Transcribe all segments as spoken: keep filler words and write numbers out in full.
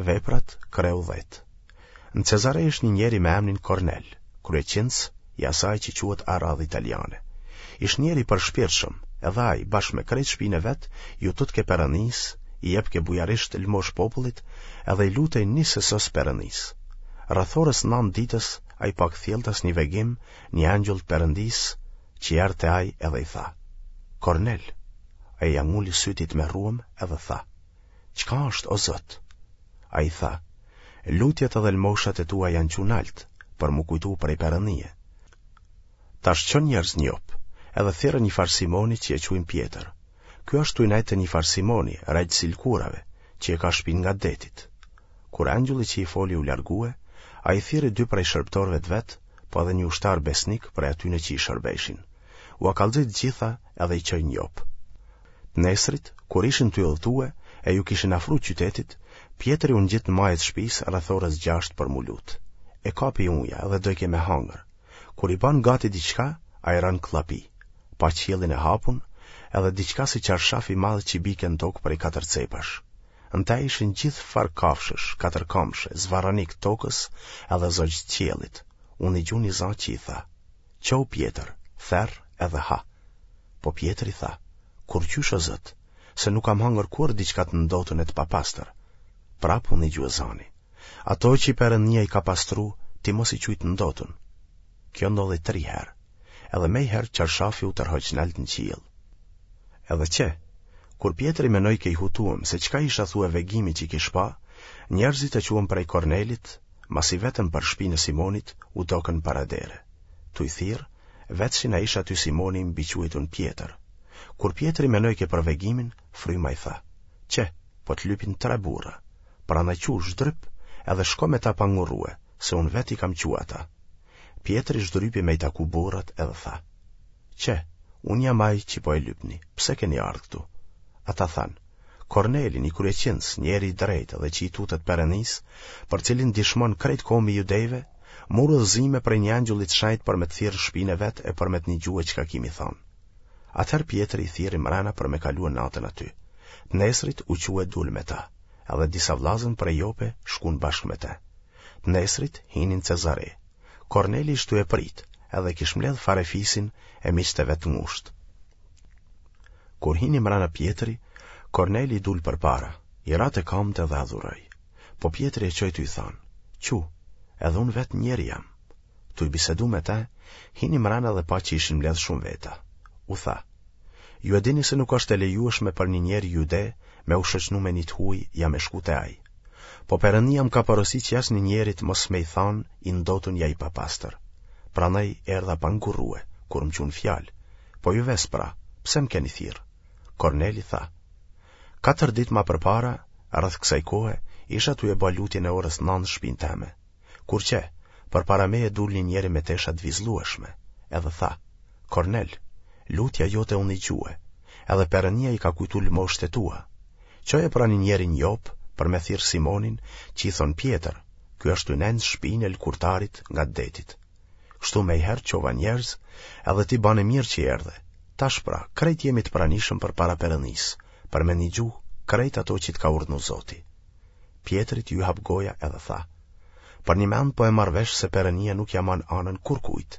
Veprat, kreu dhjetë. Në Cezare ish një njeri me emnin Kornel, kryeqindës i asaj që quhet Aradhë Italiane. Ish njeri i përshpirtshëm, edhe ai, bashkë me krejt shpinë e vet, iu tutke Perëndisë, i jepke bujarisht lëmoshë popullit, edhe i lutej nis e sos Perëndisë. Rreth orës nëntë ditës, ai pa kthjelltas një vegim, një engjëll të Perëndisë, që erdh te ai edhe i tha, Kornel, ai ia nguli sytë i tmerruem edhe tha, Çka është, o Zot? Ai tha, Lutjet edhe lëmoshat e tua janë çu nalt, për m'u kujtu prej Perëndie. Tash ço njerëz në Jopë, edhe thirre një farë Simoni që e quajnë Pjetër. Ky është tuj nejt te një farë Simoni, regjës i lëkurave, që e ka shpinë ngat detit. Kur engjëlli që i foli u largue, ai thirri dy prej shërbëtorëve të vet, po edhe një ushtar besnik prej atyne që i shërbejshin. Ua kallxoi të gjitha edhe i çoi në Jopë. Të nesrit, kur ishin tuj udhëtue e iu kishin afru qytetit, Pjetri u ngjit në maje të shpisë rreth orës gjashtë për m'u lutë. E kapi uja dhe dojke me hangër. Kur i banë gati diçka, ai ra në kllapi. Pa qiellin e hapun, edhe diçka si çarshaf i madh që bike në tokë prej katër cepash. Në te ishin gjithfarë kafshësh, katërkamshe, zvarranikë të tokës edhe zogj të qiellit. U nigju një za që i tha, Çohu Pjetër, therr edhe ha. Po Pjetri tha, Kurrqysh o Zot, se nuk kam hangër kurrë diçka të ndotun e të papastër. Prapë u nigjue zani, Ato që Perëndia i ka pastru, ti mos i quj të ndotun. Kjo ndodhi tri herë. Edhe mejherë çarshafi u tërhoq nalt në qiell. Edhe qe, kur Pjetri menojke i hutuem se çka ish athue vegimi që kish pa, njerëzit e çuem prej Kornelit, masi vetën për shpinë e Simonit, u dokën para dere. Tuj thirrë, vetshin a ish aty Simoni i mbiquajtun Pjetër. Kur Pjetri menojke për vegimin, fryma i tha, Qe, po të lypin tre burra. Prandaj çu, zhdryp, edhe shko me ta pa ngurrue, se unë vetë i kam çu ata. Pjetri zhdrypi me i taku burrat edhe tha, Qe, unë jam ai që po e lypni, pse keni ardhë këtu? Ata thanë, Korneli, një kryeqindës, njeri i drejtë dhe që i tutet Perëndisë, për cilin dishmon krejt kombi i judejve, mur udhëzime prej një engjëlli të shenjtë për me të thirrë n'shpinë e vet e për me të nigjue çka ki m'i thanë. Atëherë Pjetri i thirri mrena për me kalue natën aty. Të nesrit u çu e dul me ta, edhe disa vllazën prej Jope shkun bashkë me te. Të nesrit hini në Cezare. Korneli ish tu e prit, edhe kish mbledh farefisin e miqtë e vet të ngushtë. Kur hini mrena Pjetri, Korneli i dul përpara, i ra te kamët edhe e adhuroi. Po Pjetri e çoi tuj thanë, Çu, edhe unë vetë njeri jam. Tuj bisedu me te, hini mrena dhe pa që ishin mbledhë shumë veta. U tha, Ju e dini se nuk është e lejueshme për një njeri jude me u shoqnu me një të huaj ja me shku te ai. Po Perëndia më ka porosit që asnjë njerit mos me i thanë i ndotun ja i papastër. Prandaj erdha pa ngurrue, kur më çunë fjalë. Po ju ves pra, pse më keni thirrë? Korneli tha, Katër ditë ma përpara, rreth kësaj kohe, isha tuj e ba lutjen e orës nëntë në shpinë teme. Kur qe, përpara meje dul një njeri me tesha të vizlueshme, edhe tha, Kornel, lutja jote u nigjue, edhe Perënia i ka kujtu lëmoshët e tua. Çoje pra një njeri në Jopë për me thirrë Simonin, që i thonë Pjetër, ky është tuj nejt në shpinë e lëkurtarit ngat detit. Kështu mejherë çova njerëz, edhe ti bane mirë që erdhe. Tash pra, krejt jemi të pranishëm përpara Perënisë, për me nigju krejt ato që të ka urdhnu Zoti. Pjetrit iu hap goja edhe tha, Përnjëmend po e marr vesh se Perënia nuk ia man anën kurrkujt,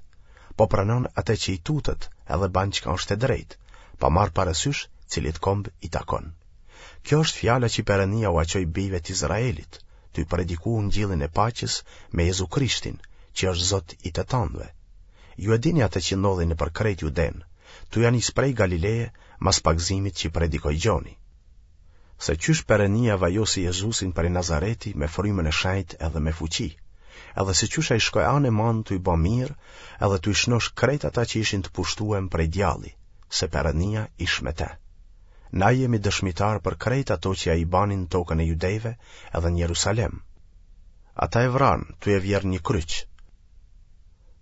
po pranon atë që i tutet edhe ban çka është e drejtë, pa marrë parasysh cilit komb i takon. Kjo është fjala që Perënia ua çoi bijve të Izraelit, tuj prediku ungjillin e paqes me Jezu Krishtin, që është Zot i të tanëve. Ju e dini atë që ndodhi nëpër krejt Judenë, tuj ia nis prej Galileje mas pagëzimit që predikoi Gjoni. Se qysh Perënia vajosi Jezusin prej Nazareti me frymën e shenjtë edhe me fuqi, edhe se qysh ai shkoi anë e manë tuj ba mirë edhe tuj shnosh krejt ata që ishin të pushtuem prej djalli, se Perënia ish me te. Na jemi dëshmitarë për krejt ato që ai bani në tokën e judejve edhe në Jerusalem. Ata e vranë, tuj e vjerrë një kryq.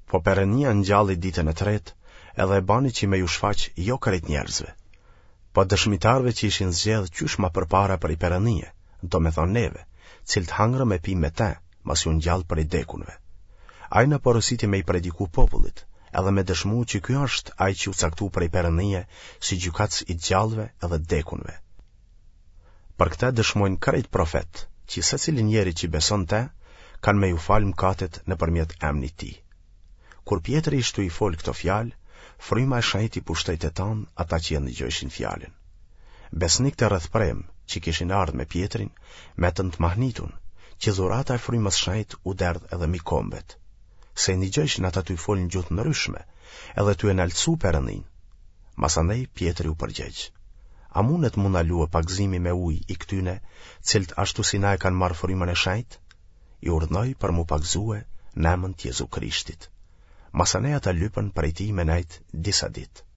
Po Perënia e ngjalli ditën e tretë edhe e bani që me ju shfaq jo krejt njerëzve, Po dëshmitarëve që ishin zgjedhë qysh ma përpara prej Perënie, domethonë neve, cilët hangrëm e pimë me te, masi u ngjall prej dekunve. Ai na porositi me i prediku popullit, edhe me dëshmu që ky është ai që u caktu prej Perënie si gjykatës i të gjallëve edhe të dekunve. Për këtë dëshmojnë krejt profetët, që secili njeri që beson n'te, kanë me ju falë mkatet nëpërmjet emnit tij. Kur Pjetri ish tu i folë këto fjalë, Fryma e Shenjtë i pushtoi të tanë ata që e ndëgjojshin fjalën. Besnikët e rrethpremë, që kishin ardhë me Pjetrin, metën të mahnitun, që dhurata e Frymës Shenjtë u derdh edhe mi kombet. Se i ndëgjojshin ata tuj folë në gjuhë të ndryshme, edhe tuj e naltësu Perëndinë. Masandej Pjetri u përgjegj, A mundet m'u ndalue pagëzimi me ujë i këtyne, cilët ashtu si na e kanë marrë Frymën e Shenjtë? I urdhnoi për m'u pagëzue në emën të Jezu Krishtit. Masanej ata lypën prej tij me nejt disa ditë.